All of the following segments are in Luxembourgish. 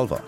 Alwer.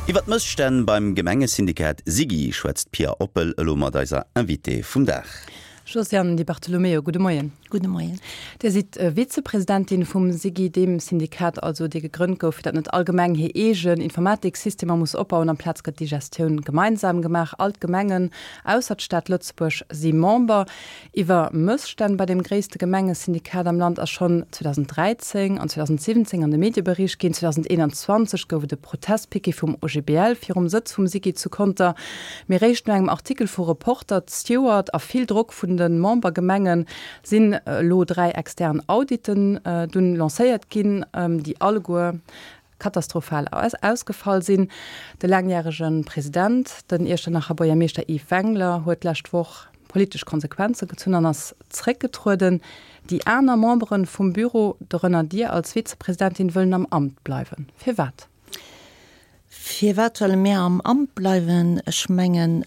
Iwwer d'Mësstänn beim Gemengesyndikat SIGI schwätzt d'Pia Oppel elo mat eiser Invitée vum Dag. Josiane Di Bartolomeo, gudde Moien. Gudde Moien. Dir sidd Vizepresidentin vum SIGI, deem Syndikat also, dee gegrënnt gouf, fir datt net all Gemeng hir eegen Informatiksystemer muss opbauen. Amplaz gëtt déi Gestioun gemeinsam gemaach. All d'Gemengen, ausser d'Stad Lëtzebuerg, si Member. Iwwer Mësstänn bei dem gréisste Gemengesyndikat am Land ass schonn 2013 an 2017 an de Medie bericht ginn. 2021 gouf et e Protestpiquet vum OGBL virum Sëtz vum SIGI zu Conter. Mee réischt no engem Artikel vu Reporter d'Stewart a vill Drock vun de Membergemenge sinn elo 3 extern Auditen dunn lancéiert ginn, déi alleguer katastrophal ausgefall sinn. De laangjärege President, den Iechternacher Buergermeeschter Yves Wengler, huet d'lescht Woch politesch Konsequenze gezunn an ass zréckgetrueden. Déi aner Membere vum Büro, dorënner Dir als Vizepresidentin, wëllen am Amt bleiwen. Firwat? Firwat wëlle mir am Amt bleiwen? Ech mengen,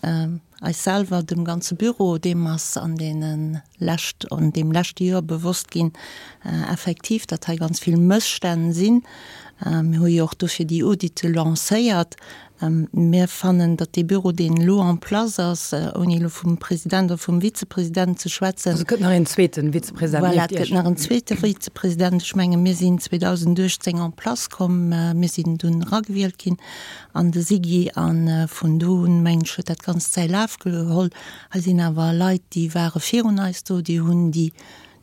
eis selwer, dem ganze Büro, deem ass an deene lescht, an deem leschte Joer bewosst ginn, effektiv, datt hei ganz vill Mësstänn sinn. Mir hu jo och dofir déi Audite lancéiert. Mir fannen, datt dee Büro, deen elo en place ass, ouni elo vum President oder vum Vizepresident ze schwätzen. Also et gëtt nach een zweete Vizepresident nieft Iech? Voilà, et gëtt nach en zweete Vizepresident. Ech menge mir sinn 2018 en place komm, mir sinn dunn eragewielt ginn an de SIGI a vun do un, mengen ech, huet dat Ganzt säi Laf geholl. Hei sinn awer Leit, déi ware virun eis do, déi hunn déi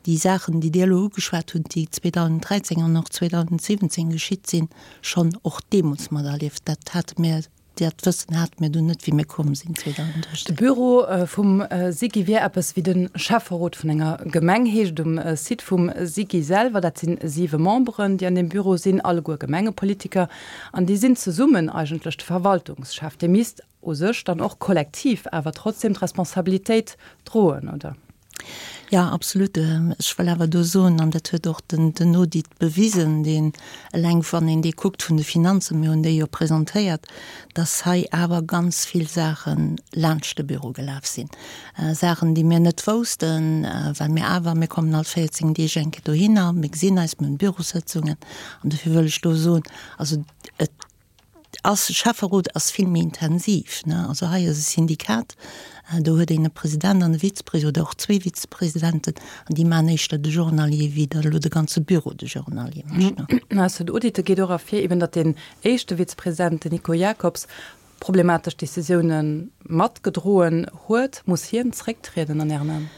déi Saachen, déi Dir elo ugeschwat hutt, déi 2013 an och 2017 geschitt sinn, schonn och deemools materlieft. Dat hate mir, dat Wëssen hate mir dunn net, wéi mir komm sinn 2018. De Büro vum SIGI wier eppes wéi de Schäfferot vun enger Gemeng, heescht et um Site vum SIGI selwer. Dat sinn siwe Memberen, déi an deem Büro sinn, alleguer Gemengepolitiker. An déi sinn zesummen eigentlech de Verwaltungschef. Dee misst u sech dann och kollektiv awer trotzdem d'Responsabilitéit droen, oder? Jo, absolut. Ech wëll awer do soen, an dat huet och den Audit bewisen, deen eleng wann een dee kuckt vun de Finanzen, mir hunn déi jo presentéiert, dass hei awer ganz vill Saache laanscht de Büro gelaf sinn. Saachen, déi mir net woussten, well mir awer, mir kommen all 14 Deeg eng Kéier dohinner, mir gesinn eis, mir hunn Bürossëtzungen. An dofir wëll ech do soen, also et ass, Schäfferot ass vill méi intensiv, ne. Also hei ass e Syndikat, do huet een e President an e Vizepresident oder och zwee Vizepresidenten an déi maachen éischter de Journalier wéi datt elo de ganze Büro de Journalier mécht, ne. Aus den Audite geet och ervir eben, datt deen éischte Vizepresident, den Nico Jacobs, problematesch Decisioune matgedroen huet. Muss hien zrécktrieden an Ären Aen?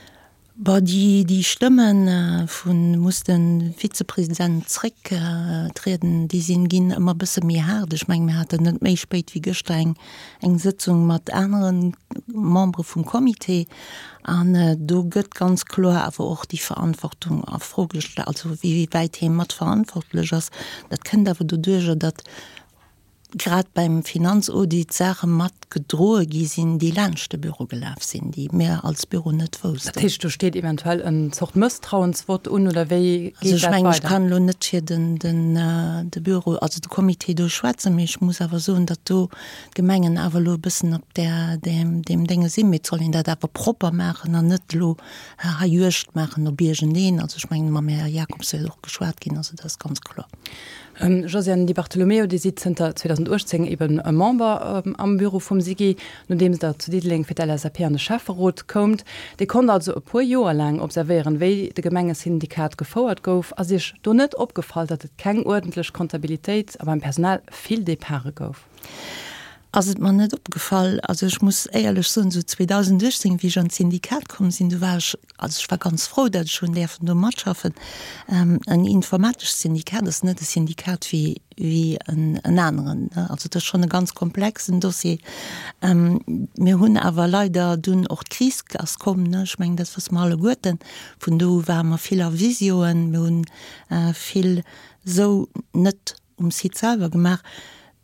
Bon, déi Stëmme vu muss de Vizepresident zrécktrieden, déi sinn, ginn ëmmer e bësse méi haart. Ech mengen, mir haten net méi spéit wéi gëschter eng, eng Sëtzung mat anere Membere vum Comité an do gëtt ganz kloer awer och déi Verantwortung a Fro gestallt, also wéi wäit hie mat verantwortlech ass. Dat kënnt awer doduerjer, datt grad beim Finanzaudit Saache mat gedroe gi sinn, déi laanscht de Büro gelaf sinn, déi mir als Büro net woussten. Dat heescht, do steet eventuell en Zort Mësstrauensvott un, oder wéi geet dat weider? Also ech mengen, ech kann elo net fir den, den, de Büro, also de Comité do schwätzen, mee ech muss awer soen, datt do d'Gemengen awer elo e bëssen op där, deem, deem Dénge sinn. Mee et soll een dat awer propper maachen an net elo hei Juegd maachen op iergendeen. Also ech mengen, mam Här Jacobs wäert och geschwat ginn, also dat ass ganz kloer. Josiane Di Bartolomeo, Dir sidd zënter 2018 eben e Member am Büro vum SIGI, nodeems Der zu Diddeleng fir d'LSAP an de Schäfferot koumt. Dir konnt also e puer Joer laang observéieren, wéi de Gemengesyndikat gefouert gouf. Ass Iech do net opgefall, datt et keng uerdentlech Comptabilitéit a beim Personal vill Departe gouf? Ass et mer net opgefall. Also ech muss éierlech soen, esou 2018, wéi ech an d'Syndikat komm sinn, du war ech, also ech war ganz frou, datt ech hunn däerfen do matschaffen. En informatescht Syndikat ass net e Syndikat wéi, wéi en aneren, ne. Also dat ass schonn e ganz komplexen Dossier. Mir hunn awer leider dunn och d'Kris ass komm, ne, ech mengen dat wësse mer alleguerten. Vun do u ware mer vill a Visioen, mir hunn vill esou net um Site selwer gemaach.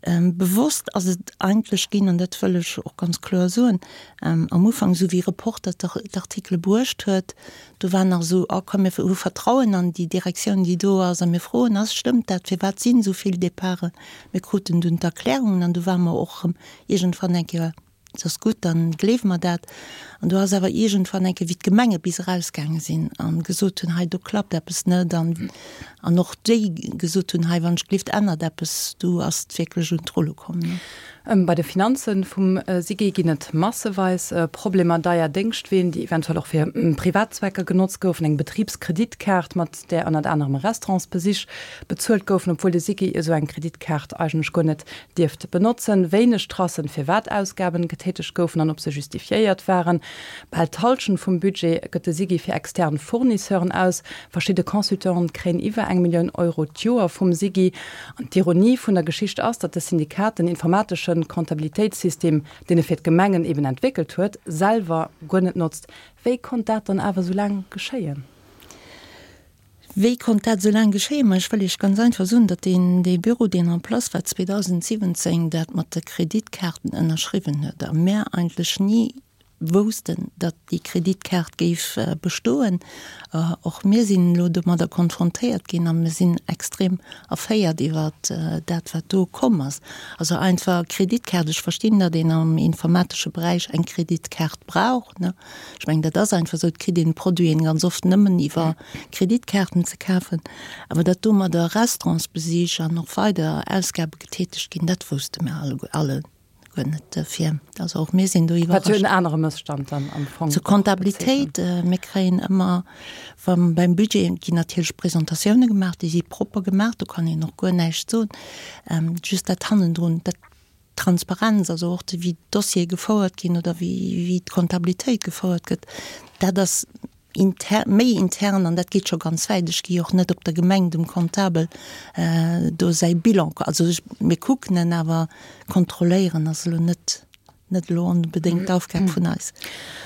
Bewosst ass et eigentlech ginn, an dat wëll ech och ganz kloer soen, am Ufank, esou wéi Reporter d'Artikele bruecht huet, do war nach esou, oh komm mir hu Vertrauen an déi Direktioun, déi do ass, a mir froen, ass, stëmmt dat, firwat sinn esou vill Departen? Mir kruten dunn d'Erklärungen an du ware mer och erëm iergendwann eng Kéier. Et ass gutt, dann gleewe mer dat. An do ass awer iergendwann eng Kéier, wéi d'Gemenge bis erausgaange sinn a gesot hunn, hei do klappt eppes net an an och déi gesot hunn, hei wann ech gleeft ännert eppes, do ass et wierklech un d'Rulle komm. Bei de Finanze vum SIGI ginn et masseweis Problemer, deier Déngschtween, déi eventuell och fir privat Zwecker genotzt goufen, eng Betribskreditkaart, mat där ënnert anerem Restaurantsbesich bezuelt goufen, obwuel de SIGI esou eng Kreditkaart eigentlech guer net dierft benotzen, wéineg Tracen, firwat Ausgaben getätegt goufen an ob se justifiéiert waren. Bal d'Hallschent vum Budget gëtt de SIGI fir extern Fournisseuren aus. Verschidde Consultanten kréien iwwer eng Millioun Euro d'Joer vum SIGI. An d'Ironie vun der Geschicht ass, datt de Syndikat den informatesche Comptabilitéitssystem, deen e fir d'Gemengen eben entwéckelt huet, selwer guer net notzt. Wéi konnt dat dann awer esou laang geschéien? Wéi konnt dat esou laang geschéien? Ma ech wëll Iech ganz einfach soen, datt deen, dee Büro, deen en place war 2017, dat mat de Kreditkaarten ënnerschriwwen huet a mär eigentlech ni woussten, datt déi Kreditkaart géif bestoen. Och mir sinn elo domadder konfrontéiert ginn a mir sinn extrem erféiert iwwer dat, wat do komm ass. Also einfach Kreditkaart, ech verstinn, datt een am informatesche Beräich eng Kreditkaart brauch, ne. Ech mengen, dat ass einfach esou, et kritt een d'Produiten ganz oft nëmmen iwwer Kreditkaarten ze kafen. Awer datt domadder Restaurantsbesich an och weider Ausgabe getätegt ginn, dat wousste mir alleguer guer net duerfir. Also och mir sinn do iwwerrascht. Wat jo en anere Mësstand dann am Fong och. Zur Comptabilitéit, mir kréien ëmmer, wa beim Budget ginn natierlech Presentatioune gemaach, déi si propper gemaach, do kann een och guer näischt soen. Just dat hannendrun, dat D'Transparenz, also och wéi d'Dossiere gefouert ginn oder wéi d'Comptabilitéit gefouert gëtt, dat ass inter, méi intern an dat geet scho ganz wäit. Ech gi och net op der Gemeng dem Comptabel do säi Bilan, also ech, mir kucken en, awer kontrolléieren ass elo net, net elo onbedéngt d'Aufgab vun eis.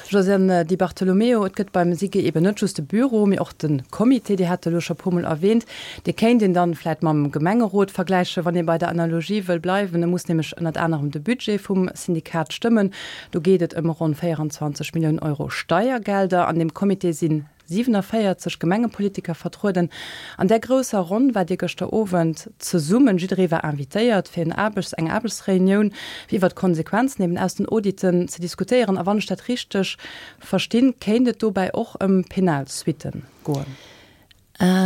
Josiane Di Bartolomeo, Et gëtt beim SIGI eben net just de Büro, mee och de Comité, Dir hat e elo scho e puermol erwähnt. Dee kéint een dann vläit mam Gemengerot vergläichen, wann ee bei der Analogie wëll bleiwen. E muss nämlech ënnert anerem de Budget vum Syndikat stëmmen. Do geet et ëm ronn 24 Milliounen Euro Steiergelder. An deem Comité sinn 47 Gemengepolitiker vertrueden. An där grousser Ronn waart Dir gëschter Owend zesummen. Jidderee war invitéiert fir en Aarbechts-, eng Aarbechtsreunioun, fir iwwer d'Konsequenzen eben aus den Auditen ze diskutéieren. A wann ech dat richteg verstinn, kéint et dobäi och ëm penal Suitten goen.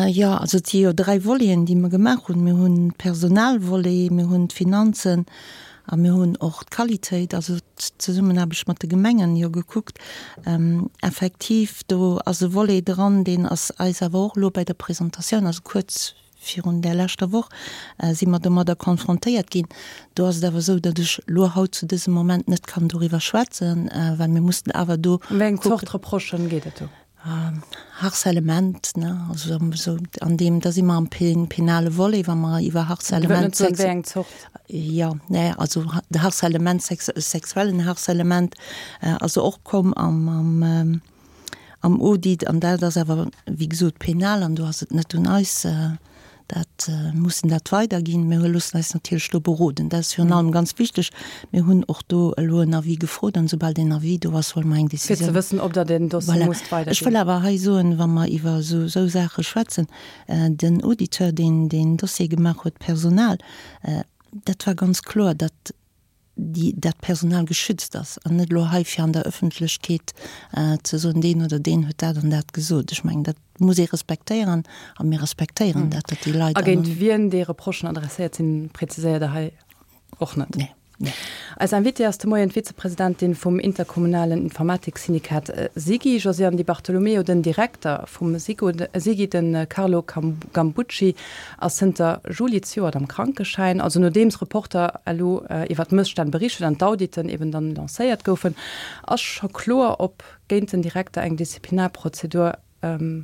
Jo, also et si jo 3 Voleten, déi mer gemaach hunn. Mir hunn d'Personalvolet, mir hunn d'Finanzen a mir hunn och d'Qualitéit, also d'Zesummenaarbecht mat de Gemengen jo gekuckt. Effektiv, do ass e Volet dran, deen ass eis awer och elo bei der Presentatioun, also kuerz virun där leschter Woch, si mer domadder konfrontéiert ginn. Do ass et awer esou, datt ech elo haut zu dësem Moment net kann doriwwer schwätzen, well mir mussen awer do Ëm wéi eng Zort Reprochen geet et do? Harcèlement, ne, also esou an deem, da si mer am penale Volet, wa mer iwwer Harcèlement. Wéi eng Zort? Jo, ne, also de Harcèlement, sexuellen Harcèlement ass och komm am, am, am Audit an dat ass awer, wéi gesot, penal an do ass et net un eis, Dat mussen dat weiderginn. Mir loossen eis natierlech do beroden. Dat ass virun allem ganz wichteg. Mir hunn och do elo en Avis gefrot an esoubal deen Avis do ass, huele mer eng Décisioun. Fir ze wëssen, ob Der den Dossier musst weiderginn. Ech wëll awer hei soen, wa mer iwwer esou esou Saache schwätzen, den Auditeur, deen deen Dossier gemaach huet, d'Personal, dat war ganz kloer, datt déi dat Personal geschützt ass an net elo hei fir an der Öffentlechkeet ze soen, deen oder deen huet dat an dat gesot. Ech mengen, dat muss ee respektéieren a mir respektéieren dat, datt déi Leit. A géint wien déi Reprochen adresséiert sinn, präziséiert Der hei och net. Nee. Nee. Eis Invitée ass de Moien d'Vizepresidentin vum interkommunalen Informatiksyndikat SIGI, Josiane Di Bartolomeo. Den Direkter vum SIGI, de Carlo Gambucci, ass zënter Juli zejoert am Krankeschäin. Also nodeems Reporter elo iwwer d'Mësstänn bericht huet an d'Auditen eben dann lancéiert goufen, ass scho kloer, ob géint den Direkter eng Disziplinarprozedur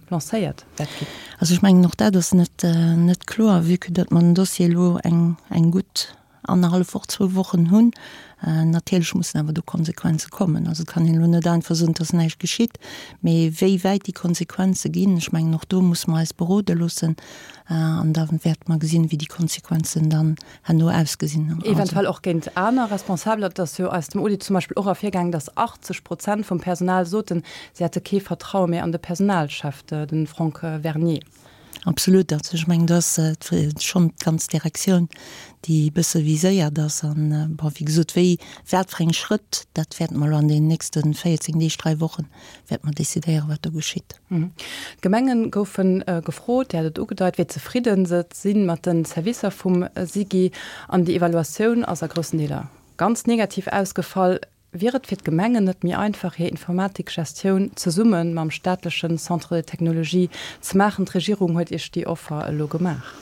lancéiert wäert ginn. Also ech mengen, och dat ass net net kloer, vue que datt mer den Dossier elo eng eng gutt annerhallef Woch, zwou Wochen hunn. Natierlech mussen awer do Konsequenze kommen. Also et kann een elo net einfach soen, et ass näischt geschitt. Mee wéi wäit déi Konsequenze ginn, ech mengen och do musse mer eis berode loossen an da wäerte mer gesinn, wéi déi Konsequenzen dann herno ausgesinn. Eventuell och géint aner Responsabeler. Et ass jo aus dem Audit zum Beispill och ervirgaangen, datt 80 Prozent vum Personal soten, si hätte kee Vertraue méi an de Personalchef, de Franck Vernier. Absolut. Also ech mengen, do ass schonn d'ganz Direktioun, déi e bësse viséiert ass. An, bon, wéi gesot, wéi, wat fir eng Schrëtt, dat wäerte mer elo an deenen nächste 14 Deeg, 3 Wochen, wäerte mer decidéieren, wat do geschitt. D'Gemenge goufe gefrot, Dir hat et ugedeit, wéi zefridde se si mat de Servicer vum SIGI. An déi Evaluatioun ass a groussen Deeler ganz negativ ausgefall. Wier et fir d'Gemengen net méi einfach, hir Informatikgestioun zesumme mam staatlechen Centre de technologie ze maachen? D'Regierung huet Iech déi Offer elo gemaach.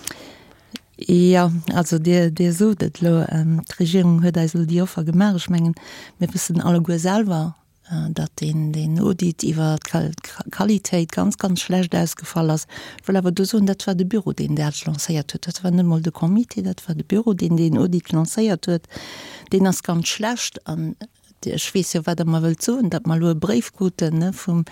Jo, also Dir, Dir sot et elo, d'Regierung huet eis elo déi Offer gemaach. Ech mengen, mir wëssen alleguer selwer, datt deen, deen Audit iwwer d'Qualitéit ganz, ganz schlecht ausgefall ass. Ech wëll awer do soen, dat war de Büro, deen dat lancéiert huet. Dat war net emol de Comité, dat war de Büro, deen deen Audit lancéiert huet. Deen ass ganz schlecht an ech weess jo, wat Der mer wëllt soen, datt mer elo e Bréif kruten vum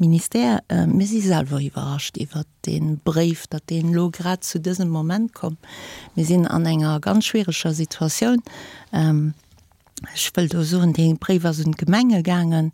Ministère. Mir si selwer iwwerrascht iwwert dee Bréif, datt deen elo grad zu dësem Moment komm. Mir sinn an enger ganz schwiereger Situatioun. Ech wëll do soen, dee Bréif ass un d'Gemenge gaangen.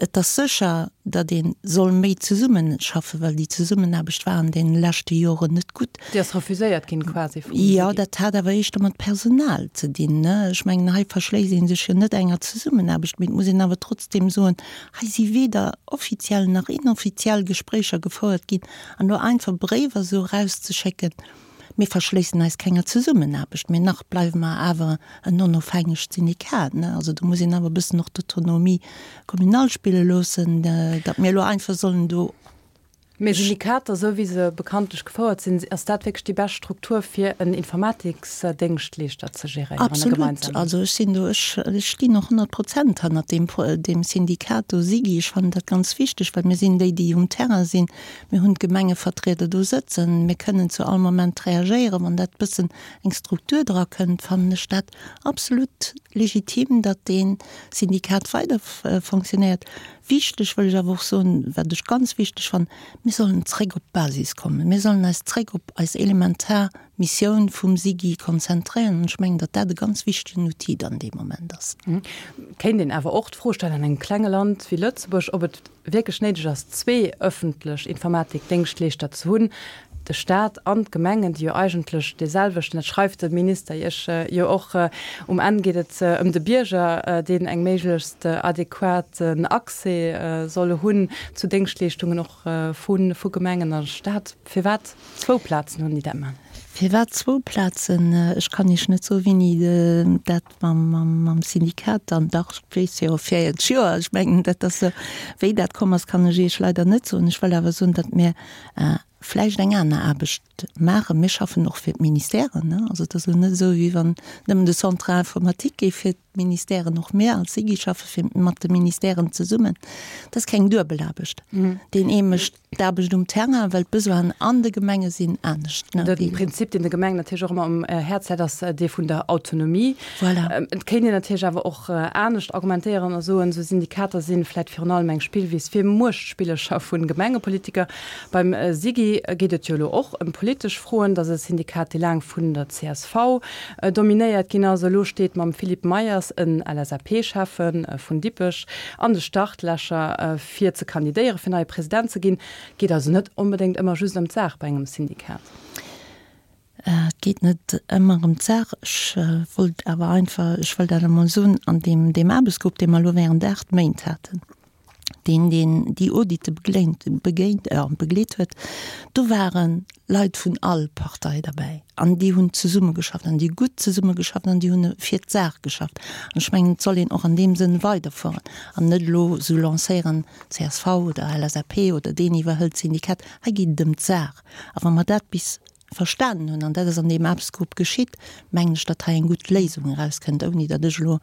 Et ass sécher, datt ee soll méi zesummeschaffen, well déi Zesummenaarbecht war an deene leschte Joren net gutt. Déi ass refuséiert ginn quasi vum SIGI. Jo, dat hat awer éischter mat Personal ze dinn. Ech mengen, hei verschléisst ee sech jo net enger Zesummenaarbecht, mee et muss een awer trotzdeem soen, hei si weder offiziell nach inoffiziell Gespréicher gefouert ginn. An elo einfach Bréiwer esou erauszeschécken, Mir verschléissen eis kenger Zesummenaarbecht, mee nach bleiwe mer awer en onofhängegt Syndikat. Also do muss een awer e bëssen och d'Autonomie communale spille loossen, datt mir elo einfach sollen do. Mee Syndikater, esou wéi se bekanntlech gefouert sinn, ass dat wierklech déi bescht Struktur fir en Informatiksdéngschtleeschter ze geréieren? Absolut. Also ech sinn do, ech stinn och 100 Prozent hannert deem, deem Syndikat do, SIGI. Ech fannen dat ganz wichteg, well mir sinn déi, déi um Terrain sinn. Mir hunn d'Gemengevertrieder do sëtzen. Mir kënnen zu all Moment reagéieren. Wann dat bëssen eng Struktur dra kënnt, fannen ech dat absolut legitim, datt dee Syndikat weider fonctionnéiert. Wichteg wëll ech awer och soen, wat ech ganz wichteg fannen, Mir sollen zréck op d'Basis kommen. Mir sollen eis zréck op eis elementar Missioun vum SIGI konzentréieren. An ech mengen, datt dat e ganz wichtegen Outil dann dee Moment ass. Kéint een awer och d'Fro stellen an engem klenge Land wéi Lëtzebuerg, ob et wierklech néideg ass, zwee ëffentlech Informatikdéngschtleeschter ze hunn, de Staat an d'Gemengen, déi jo eigentlech dee selwechten, dat schreift de Minister Iech jo och, um Enn geet et ëm de Bierger, deen eng méiglechst adequaten Accès soll hunn zu Déngschtleeschtungen och vu Gemengen a Staat. Firwat zwou Plazen hunn, déi dat maachen? Firwat zwou Plazen? Ech kann Iech net soen, wéini dat mam Syndikat dann, dach, ech weess jo, 40 Joer, ech mengen, dat ass esou. Wéi dat komm ass, kann ech Iech leider net soen. Ech wëll awer soen, datt mir vläicht eng aner Aarbecht maachen. Mir schaffen och fir d'Ministèren, ne. Also et ass elo net esou, wéi wann nëmmen de Centre informatique géif fir d'Ministèren, och mir als SIGI schaffe fir mat de Ministèren zesummen. Dat ass keng Duebelaarbecht. Deen ee mécht D'Aarbecht um Terrain, well d'Besoinen an de Gemenge sinn anescht. De Prinzip, deen de Gemengen natierlech och ëmmer um Häerz läit, ass dee vun der Autonomie. Voilà. Et kéint een natierlech awer och anescht argumentéieren a soen, esou Syndikater si vläicht virun allem eng Spillwiss fir Muechtspillercher vu Gemengepolitiker. Beim SIGI geet et jo elo och ëm politesch Froen. Dat ass e Syndikat, dee laang vun der csv dominéiert ginn ass. Elo steet mam Philippe Meyers en LSAP-Schäffe vun Dippech an de Startlächer. Fir ze kandidéieren, fir neie President ze ginn, geet also net onbedéngt ëmmer just ëm d'Saach bei engem Syndikat. Et geet net ëmmer ëm d'Saach. Ech wollt awer einfach, ech wëll dat emol soen, an deem, deem Aarbechtsgrupp, dee mer elo während 8 Méint haten, deen, deen déi Audite begléint, begéint, begleet huet, do ware Leit vun all Partei derbäi an déi hunn zesummegeschafft an déi hu gutt zesummegeschafft an déi hunn fir d'Saach geschafft. An ech mengen, et soll een och an deem Sënn weiderfueren an net elo esou lancéieren, csv oder LSAP oder deen iwwerhëlt d'Syndikat. Hei geet et ëm d'Saach. A wa mer dat bis verstanen hunn, an dat ass an deem Aarbechtsgrupp geschitt, mengen ech, datt hei eng gutt Léisung erauskënnt, ouni datt ech elo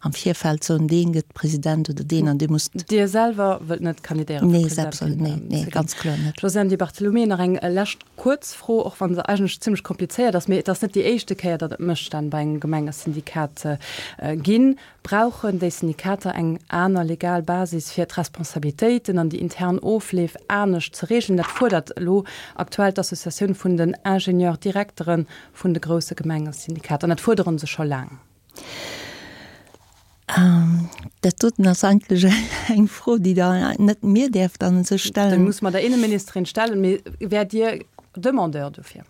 am Virfeld soen, dee gëtt President oder deen an dee muss. Dir selwer wëllt net kandidéieren fir President? Nee, nee, ganz kloer net. Josiane Di Bartolomeo, nach eng lescht kuerz Fro, och wa se eigentlech zimmlech komplizéiert ass, mee et ass net déi éischte Kéier, datt et Mësstänn bei engem Gemengesyndikat ginn. Brauchen déi Syndikater eng aner legal Basis, fir d'Responsabilitéiten an déi intern Ofleef anescht ze reegelen? Dat fuerdert elo aktuell d'Associatioun vun den Ingenieur-Direktere vun de grousse Gemengesyndikater an dat fuerdere se scho laang. Dat doten ass eigentlech eng Fro, déi Der net mir däerft a sech stellen. Déi muss mer der Inneministerin stellen. Mee wäert Dir Demandeur dofir?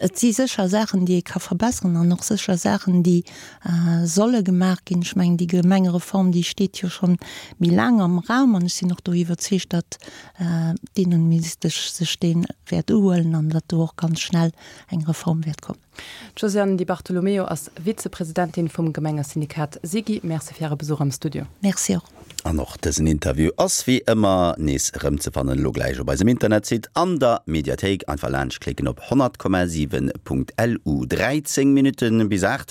Et si sécher Saachen, déi ee ka verbessern an och sécher Saachen, déi solle gemaach ginn. Ech mengen, déi Gemengereform, déi steet jo schonn méi laang am Raum an ech sinn och do iwwerzeegt, datt d'Innenministesch sech dee wäert uhuelen an datt do och ganz schnell eng Reform wäert kommen. D'Josiane Di Bartolomeo ass Vizepresidentin vum Gemengesyndikat SIGI. Merci fir Äre Besuch am Studio. Merci och. An och dësen Interview ass wéi ëmmer nees erëmzefannen elo gläich op eisem Internetsite an der Mediathéik. Einfach laanscht klicken op 100,7.lu. 13 Minutten bis 8.